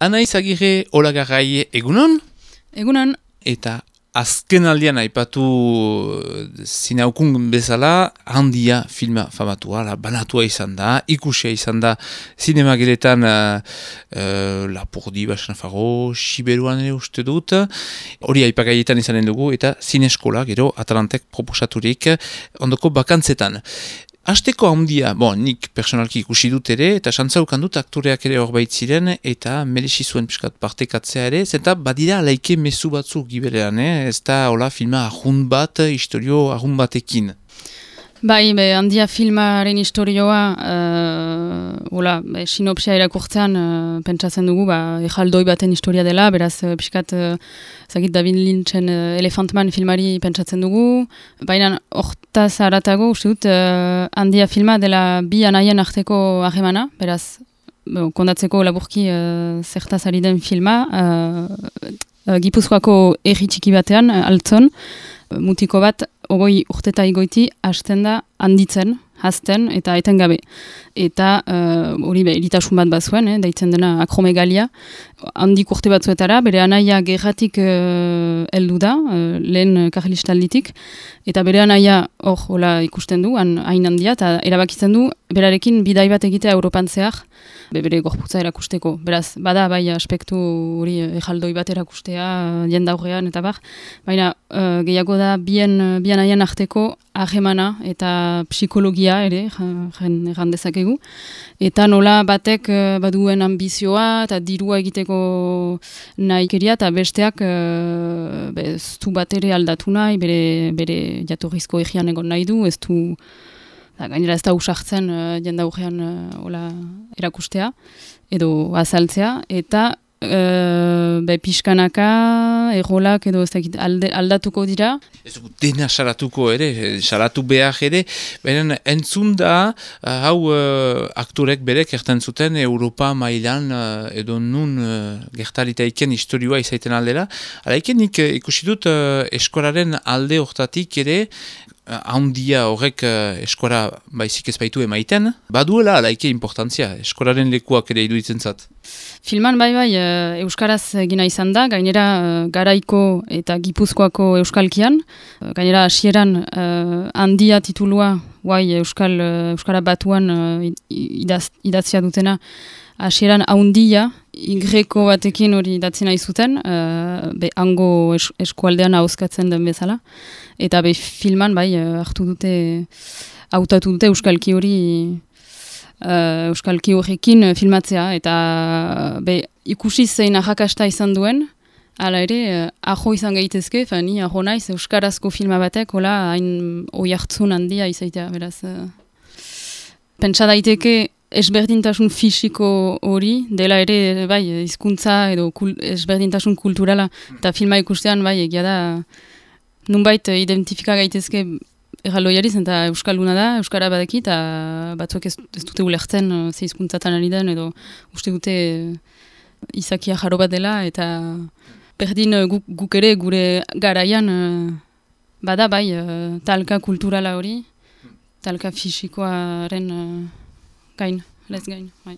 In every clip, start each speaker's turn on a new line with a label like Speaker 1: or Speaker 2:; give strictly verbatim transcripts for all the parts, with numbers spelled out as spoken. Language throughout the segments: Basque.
Speaker 1: Anaiz Agirre Olagarrai egunon?
Speaker 2: Egunon.
Speaker 1: Eta azken aldian aipatu zinaukun bezala Handia filma famatua, la banatua izan da, ikusia izan da zinemageletan uh, uh, Lapurdi, Basanafaro, Siberuan ere uste dut, hori aipagaietan izanen dugu eta zineskola gero Atalantek proposaturik ondoko bakantzetan. Hasteko Handia, bon, nik personalki ikusi dut ere, eta xantzaukan dut aktoreak ere hor baitziren, eta merezi zuen piskat partekatzea ere, zenta badira laike mezu batzuk giberean, eh? Ez da hola filma ahun bat, historio ahun batekin.
Speaker 2: Bai, be, Handia filmaren historioa, uh, hola, be, sinopsia irakurtzean, uh, pentsatzen dugu, ba, ejaldoi baten historia dela, beraz, uh, piskat, uh, zagit David Lynchen uh, Elephant Man filmari pentsatzen dugu, baina hortaz haratago, uste dut, uh, Handia filma dela bi anaien arteko harremana, beraz, bo, kondatzeko laburki uh, zertaz ari den filma, uh, uh, Gipuzkoako herri txiki batean, uh, Altzon, uh, mutiko bat, ogoi urteta igoiti hasten da handitzen, hazten eta etengabe. Eta hori uh, eritasun bat bazuen, eh, daitzen dena akromegalia, handik urte batzuetara, bere anaia gerratik uh, heldu da, uh, lehen karlistalditik, eta bere anaia hor hola ikusten du, han, hain handia, eta erabakitzen du, berarekin bidai bat egitea Europan zehar, be, bere gorputza erakusteko. Beraz, bada bai aspektu hori ejaldoi bat erakustea, jendaurrean eta bar, baina uh, gehiago da bien, bien haien arteko harremana eta psikologia ere, jan dezakegu. Eta nola batek uh, baduen ambizioa eta dirua egiteko nahikeria eta besteak uh, be, ez du bat ere aldatu nahi, bere, bere jatorrizko egian egon nahi du, ez du da, gainera ez da usartzen uh, jendaurrean uh, erakustea edo azaltzea, eta Uh, be, pixkanaka, errolak edo ez dakit alde, aldatuko dira.
Speaker 1: Ez dugu dena salatuko ere, salatu behar ere, baina entzun da, uh, hau uh, aktorek berek erten zuten Europa mailan uh, edo nun uh, gertaritaiken historioa izaiten aldera. Alaiken nik uh, ikusi dut uh, eskolaren alde hortatik ere, Handia horrek uh, eskola baizik ez baitu emaiten, baduela alaike importantzia, eskolaren lekuak ere iruditzen zat.
Speaker 2: Filman bai bai uh, euskaraz egina izan da, gainera uh, Garaiko eta Gipuzkoako euskalkian, uh, gainera hasieran uh, Handia titulua, guai euskal, uh, euskara batuan uh, idaz, idatzia dutena, hasieran Handia, Y batekin hori idatzi nahi zuten, uh, be hango es, eskualdean ahoskatzen den bezala. Eta be filman bai hartu dute, hautatu dute euskalki hori, uh, euskalki horrekin filmatzea. Eta be ikusi zein arrakasta izan duen, hala ere, uh, ajo izan gaitezke, ni ajo naiz euskarazko filma batek, hola hain oihartzun handia izaitea, beraz. Uh, pentsa daiteke, ezberdintasun fisiko hori, dela ere, bai, hizkuntza edo kul, ezberdintasun kulturala, eta filma ikustean, bai, egia da, nunbait identifika gaitezke erraldoiariz, eta euskalduna da, euskara badeki, eta batzuek ez, ez dute ulertzen ze hizkuntzatan ari den, edo uste dute izakia jaro bat dela, eta berdin guk, guk ere gure garaian, bada, bai, talka kulturala hori, talka fisikoaren gain, lez gain, bai.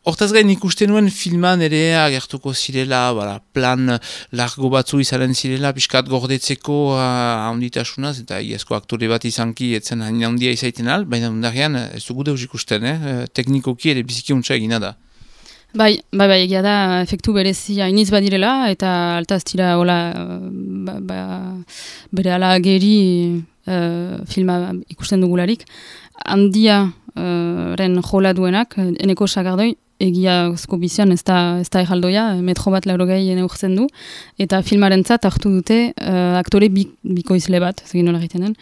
Speaker 1: Hortaz gain ikusten nuen filman ere agertuko zirela, bala, plan largo batzu izanen zirela, pixkat gordetzeko handitasunaz, eta iazko aktore bat izanki etzen hain handia izaiten al, baina undarrean ez dugu deus ikusten, eh? Teknikoki ere biziki untsa egina da.
Speaker 2: Bai, bai, bai, egia da, efektu berezi hainiz badirela, eta altaz tira, hola, ba, ba, bere ala geri uh, filma ikusten dugularik. Handia uh, ren jola duenak, eneko sagardoi, egiazko bizian ez da, ez da erraldoia, metro bat laurogei neurtzen du, eta filmarentzat hartu dute uh, aktore bi, bikoizle bat, zegin nola egiten den.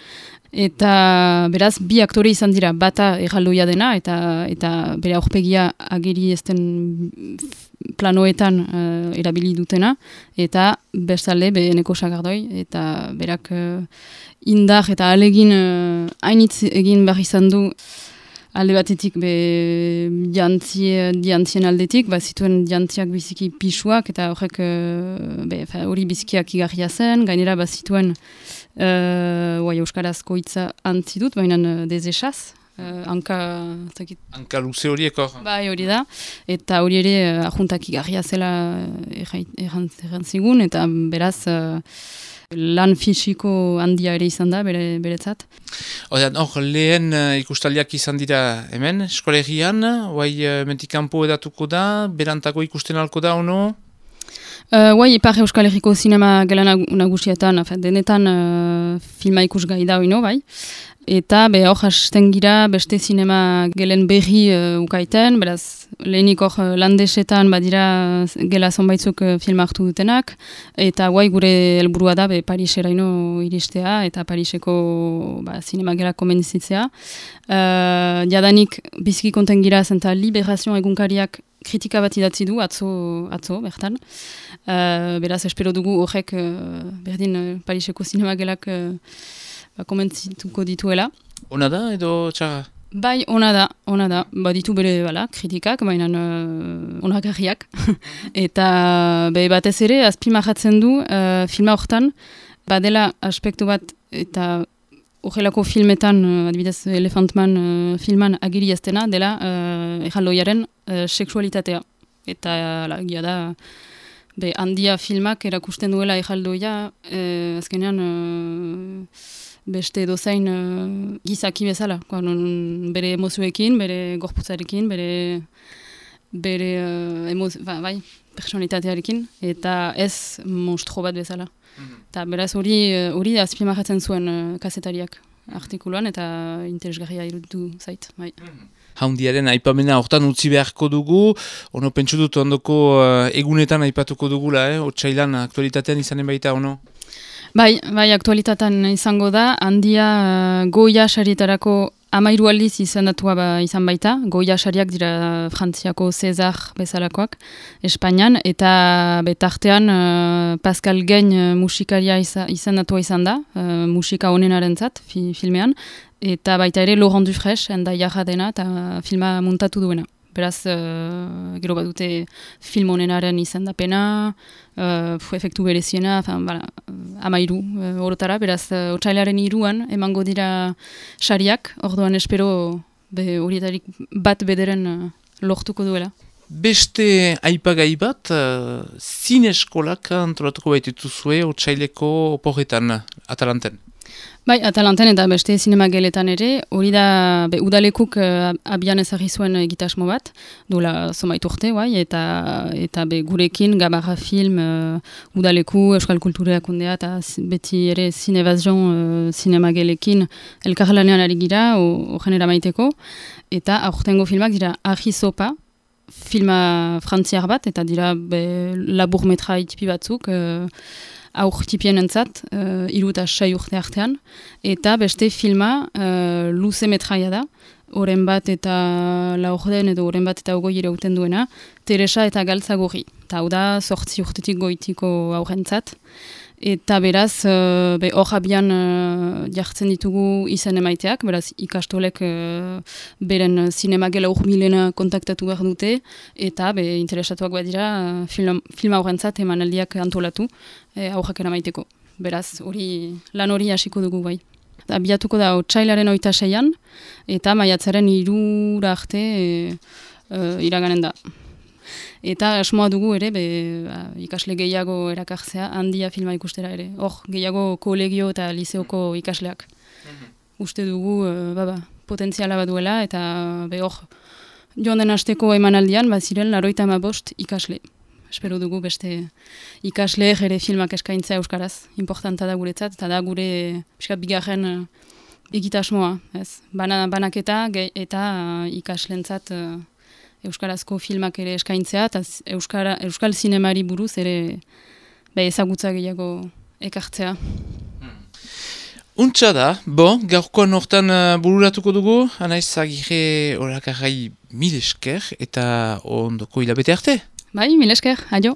Speaker 2: Eta beraz, bi aktore izan dira, bata erraldoia dena, eta, eta bere aurpegia ageri ezten planoetan uh, erabili dutena, eta bestalde be eneko sagardoi, eta berak uh, indar eta alegin uh, hainitz egin behar izan du alde batetik be jantzie, jantzien aldetik, ba, zituen jantziak biziki pisuak, eta horrek uh, hori bizikiak igarria zen, gainera ba, zituen uh, euskarazko hitza antzi dut, baina uh, desesaz, uh, hanka... Zakit.
Speaker 1: Hanka luze horiek hor.
Speaker 2: Bai, hori da. Eta hori ere uh, ajuntak igarria zela erran zigun, eta beraz... Uh, lan fisiko handia ere izan da, bere, beretzat.
Speaker 1: Odean, hor, lehen uh, ikustaliak izan dira hemen, eskolegian, guai uh, mentikampo edatuko da, berantako ikusten alko da, ono?
Speaker 2: Uh, guai, Ipar Euskal Herriko zinema gela nagusietan, denetan uh, filma ikusgai da, oino, bai. Eta be hor hasten gira beste zinema gelen berri uh, ukaiten, beraz lehenik hor uh, landesetan badira gela zonbaitzuk uh, film hartu dutenak, eta guai gure helburua da be Pariseraino iristea eta Pariseko ba, zinema gela komendizitzea. Uh, jadanik biziki konten gira zenta Liberazio egunkariak kritika bat idatzi du atzo, atzo bertan. Uh, beraz espero dugu horrek uh, berdin uh, Pariseko zinema gelak uh, komentzituko dituela.
Speaker 1: Ona da edo txarra?
Speaker 2: Bai, ona da, ona da. Ba, ditu bere bala, kritikak, baina uh, onagarriak. Eta be, batez ere, azpimarratzen du uh, filma hortan, badela aspektu bat eta horrelako filmetan, uh, adibidez Elefantman uh, filman agiri jaztena, dela uh, erraldoiaren uh, seksualitatea. Eta la, gia da, be, handia filmak erakusten duela erraldoia, uh, azkenean... Uh, beste dozain uh, gizaki bezala, non, bere emozioekin, bere gorputzarekin, bere, bere uh, emoz, ba, bai, personalitatearekin, eta ez monstro bat bezala. Eta mm-hmm. beraz hori hori uh, azpimarratzen zuen uh, kazetariak artikuluan, eta interesgarria iruditu zait. Bai. Mm-hmm.
Speaker 1: Haundiaren aipamena hortan utzi beharko dugu, ono pentsu dut ondoko uh, egunetan aipatuko dugula, eh? Otsailan aktualitatean izanen baita, ono?
Speaker 2: Bai, bai, aktualitatean izango da, handia uh, Goya sarietarako amairu aldiz izendatua ba, izan baita. Goya sariak dira Frantziako César bezalakoak, Espainian, eta betartean uh, Pascal Gain uh, musikaria iza, izendatua izan da, uh, musika honenarentzat fi, filmean, eta baita ere Laurent Dufresne, enda jarra dena, eta filma muntatu duena. Beraz, uh, gero bat dute film honenaren izendapena, uh, efektu bereziena, bala, amairu uh, orotara, beraz, uh, otsailaren iruan emango dira sariak, orduan espero be, horietarik bat bederen uh, lortuko duela.
Speaker 1: Beste aipagai bat, uh, zineskolak antolatuko baititu zue otsaileko oporretan, Atalanten.
Speaker 2: Bai, Atalanten eta beste zinema geletan ere, hori da be, udalekuk uh, abian ezagri zuen egitasmo bat, duela zomait urte, bai, eta, eta be, gurekin Gabarra Film, uh, udaleku, Euskal Kultureak undea, eta beti ere Zinevazion uh, zinema gelekin elkarlanean ari gira, horren eramaiteko, eta aurtengo filmak dira Ahi Sopa, filma frantziar bat, eta dira be, laburmetra itipi batzuk, uh, aur tipien entzat, uh, iru eta sei urte artean, eta beste filma uh, luze metraia da, oren bat eta laurden edo oren bat eta ogoi irauten duena, Teresa eta Galtzagorri. Eta hau da, sortzi urtetik goitiko aurrentzat. Eta beraz, uh, be hor abian uh, jartzen ditugu izen emaiteak, beraz ikastolek uh, beren zinema gela urbilena kontaktatu behar dute, eta be interesatuak badira uh, film, film aurrentzat emanaldiak antolatu e, aurrak eramaiteko. Beraz, hori lan hori hasiko dugu bai. Abiatuko da otsailaren hogeita seian, eta maiatzaren hirura arte e, e, iraganen da. Eta asmoa dugu ere, be, ba, ikasle gehiago erakartzea, handia filma ikustera ere. Hor, gehiago kolegio eta liseoko ikasleak. Mm-hmm. Uste dugu, uh, baba, potentziala baduela, eta be hor, joan den hasteko emanaldian, bat ziren, laroita amabost ikasle. Espero dugu beste ikasle ere filmak eskaintzea euskaraz. Importanta da guretzat, eta da gure piskat bigarren uh, egitasmoa. Ez? Bana, banaketa ge, eta uh, ikaslentzat uh, euskarazko filmak ere eskaintzea, eta euskara, euskal zinemari buruz ere be, ezagutza gehiago ekartzea.
Speaker 1: Hmm. Untsa da, bo, gaurkoan hortan uh, bururatuko dugu, Anaiz Agirre orakarrai mil esker, eta ondoko hilabete arte.
Speaker 2: Bai, mil esker, adio.